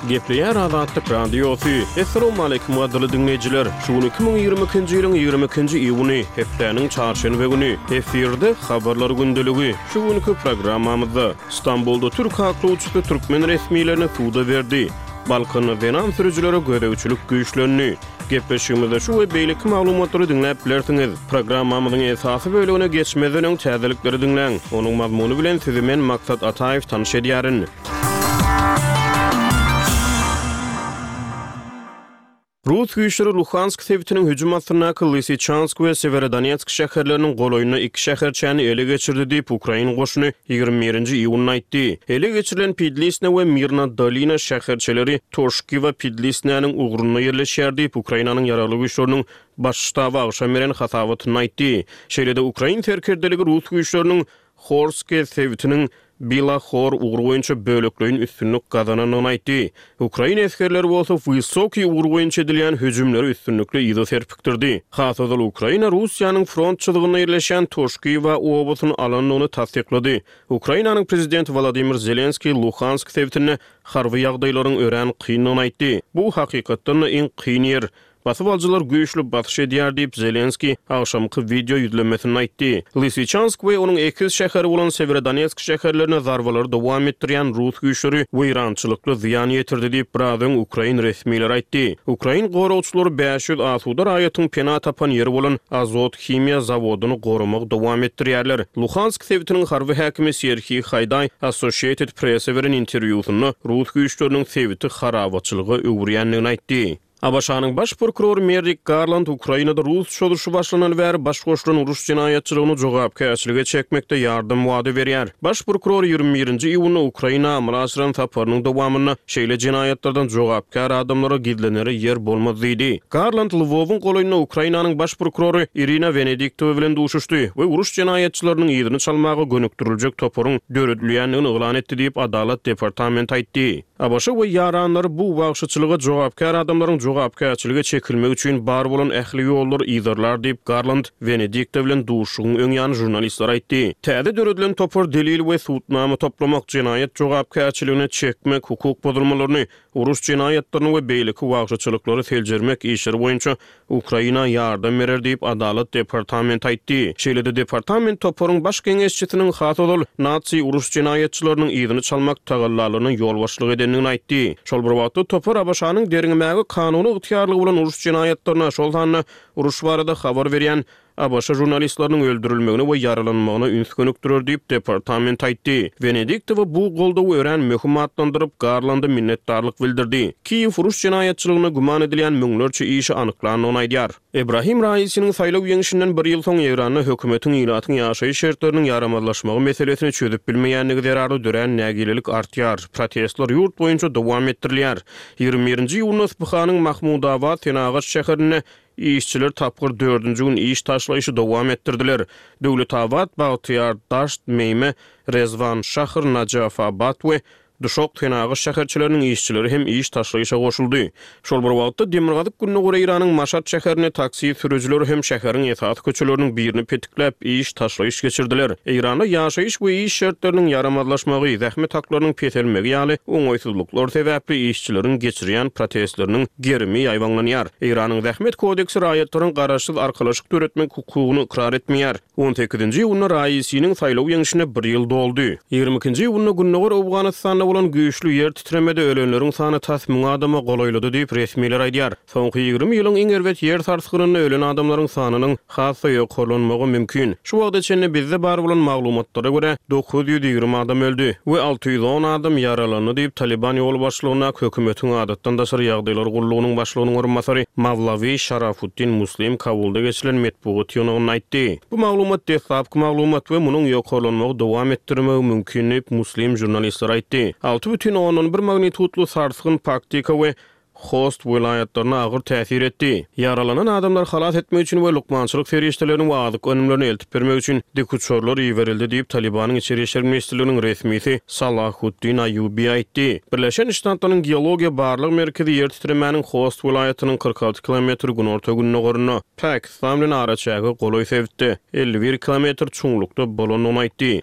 Gepleýär Azatlyk Radiosy. Essalawmaleýkim gadyrly diňleýjiler! Şu gün 2022-nji ýylyň 22-nji iýuny, hepdäniň çarşenbe güni. Efirde Habarlar gündeligi. Şu günki programmamyzda, Stambulda türk aklawçysy türkmen resmilerini suda berdi. Balkanda zenan sürüjilere gözegçilik güýçlendi. Gepleşigimizde şu we beýleki maglumatlary diňläp bilersiňiz. Programmamyzyň esasy bölegine geçmezden öň täzelikleri diňläň. Onuň mazmuny bilen sizi men Maksat Ataýew tanyş edýärin. Rus güýçleri Luhansk sebitiniň hüjüm astyndaky Lysyçansk we Sewerodonetsk şäherleriniň golaýynda iki şäherçäni ele geçirdi diýip, ukrain goşuny 21-nji iýunda aýtdy. Ele geçirilen Pidlisne we Mirna Dolina şäherçeleri Toşkiwa-Pidlisnäniň ugrunda ýerleşýär diýip, Ukrainanyň Ýaragly Güýçleriniň Baş ştaby agşam beren hasabatynda aýtdy. Şeýle-de ukrain serkerdeligi rus güýçleriniň Horske sebitiniň Bila Hor ugry boýunça bölekleýin üstünlik gazanandygyny aýtdy. Ukrain esgerleri bolsa Wysokiý ugry boýunça edilýän hüjümleri üstünlikli yza serpikdirdi. Has ozal Ukraina Russiýanyň front çyzygynda ýerleşýän Toşkiwa obasyny alandygyny tassyklady. Ukrainanyň prezidenti Wolodymyr Zelenskiý Luhansk sebitinde harby ýagdaýlaryň örän kyndygyny aýtdy. Bu hakykatdan-da iň kyn ýer. Basybalyjylar güýçli basyş edýär diýip, Zelenskiý agşamky wideo ýüzlenmesinde aýtdy. Lysyçansk we onuň ekiz şäheri bolan Sewerodonetsk şäherlerine zarbalary dowam etdirýän rus güýçleri weýrançylykly zyýan ýetirdi diýip, biraz öň ukrain resmileri aýtdy. Ukrain goragçylary 500 asuda raýatyň pena tapan ýeri bolan Azot himiýa zawodyny goramagy dowam etdirýärler. Luhansk sebitiniň harby häkimi Serhiý Haýdaý Associated Press-e beren interwýusynda rus güýçleriniň sebiti harabaçylyga öwürýändigini aýtdy. ABŞ-nyň Baş prokurory Merrik Garland Ukrainada rus çozuşy başlanaly bäri baş goşulan uruş jenaýatçylygyny jogapkärçilige çekmekde ýardam wada berýär. Baş prokuror 21-nji iýunda Ukraina amala aşyran saparynyň dowamynda şeýle jenaýatlardan jogapkär adamlara gizlenere ýer bolmaz diýdi. Garland Lwowyň golaýynda Ukrainanyň Baş prokurory Irina Wenediktowa bilen duşuşdy we uruş jenaýatçylarynyň yzyny çalmaga gönükdiriljek toparyň döredilýändigini yglan etdi diýip, Adalat departamenti aýtdy. ABŞ we ýaranlary bu wagşyçylyga jogapkär adamlaryň jogapkärçilige çekilmegi üçin bar bolan ähli ýollary yzarlar diýip, Garland Wenediktow bilen duşuşygyň öň ýany žurnalistlere aýtdy. Täze döredilen topar delil we subutnama toplamak, jenaýat jogapkärçiligine çekmek, hukuk bozulmalaryny, uruş jenaýatlaryny we beýleki wagşyçylyklary seljermek işleri boýunça Ukraina ýardam berer diýip, Adalat departamenti aýtdy. Şeýle-de departament toparyň baş geňeşçisiniň has ozal nazi uruş jenaýatçylarynyň yzyny çalmak tagallalaryna ýolbaşçylyk edendigini aýtdy. Şol bir wagtda, topar ABŞ-nyň derňemäge kanuny ygtyýarlygy bolan uruş jenaýatlaryna, şol sanda uruş barada habar berýän ABŞ žurnalistleriniň öldürilmegine we ýaralanmagyna üns gönükdirer diýip, departament aýtdy. Wenediktowa bu goldawy örän möhüm atlandyryp, Garlanda minnetdarlyk bildirdi. Kiýew uruş jenaýatçylygynda güman edilýän müňlerçe işi anyklandygyny aýdýar. Ebrahim Raisiniň saýlaw ýeňşinden bir ýyl soň Eýranda hökümetiň ilatyň ýaşaýyş şertleriniň ýaramazlaşmagy meselesini çözüp bilmeýändigi zerarly dörän nägilelik artýar. Protestler ýurt boýunça dowam etdirilýär. 21-nji iýunda Yspyhanyň Mahmudabad senagat şäherinde Işçiler tapgyr dördünji gün iş taşlaýşy dowam etdirdiler. Döwletabat, Bagtyýar, Daşt, Meýme, Rezwan, Şahr, Najafabat we Duşak senagat şäherçeleriniň işçileri hem iş taşlaýşa goşuldy. Şol bir wagtda, demirgazyk-gündogar Eýranyň Maşat şäherinde taksi sürüjileri hem şäheriň esasy köçeleriniň birini petikläp, iş taşlaýyş geçirdiler. Eýranda ýaşaýyş we iş şertleriniň ýaramazlaşmagy, zähmet haklarynyň peselmegi ýaly oňaýsyzlyklar sebäpli işçileriň geçirýän protestleriniň gerimi ýaýbaňlanýar. Eýranyň Zähmet kodeksi raýatlaryň garaşsyz arkalaşyk döretmek hukugyny ykrar etmeýär. On sekizinji iýunda Raisiniň saýlaw ýeňşine bir ýyl doldy. 22-nji iýunda gündogar Owganystanda bolan güýçli ýer titremede ölenleriň sany tas müň adama golaýlady diýip, resmiler aýdýar. Soňky 20 ýylyň iň erbet ýer sarsgynynda ölen adamlaryň sanynyň has-da ýokarlanmagy mümkin. Şu wagta çenli bizde bar bolan maglumatlara görä, 920 adam öldi we 610 adam ýaralandy diýip, Talyban ýolbaşçylygyndaky hökümetiň adatdan daşary ýagdaýlar gullugynyň başlygynyň orunbasary Mawlawi Şarafuddin Muslim Kabulda geçirilen metbugat ýygnagynda aýtdy. Bu maglumat deslapky maglumat we munuň ýokarlanmagy dowam etdirmegi mümkin diýip, Muslim žurnalistlere aýtdy. 6,1 magnitudly sarsgyn Paktika we Host welaýatlaryna agyr täsir etdi. Ýaralanan adamlary halas etmek üçin we lukmançylyk serişdelerini we azyk önümlerini eltip bermek üçin dikuçarlar iberildi diýip, Talybanyň Içeri işler ministrliginiň resmisi Salahuddin Aýubi aýtdy. Birleşen Ştatlaryň Geologiýa barlag merkezi ýer titremäniň Host welaýatynyň 46 kilometr günorta-gündogarynda, Pakistan bilen araçäge golaý sebitde, 51 kilometr çuňlukda bolandygyny aýtdy.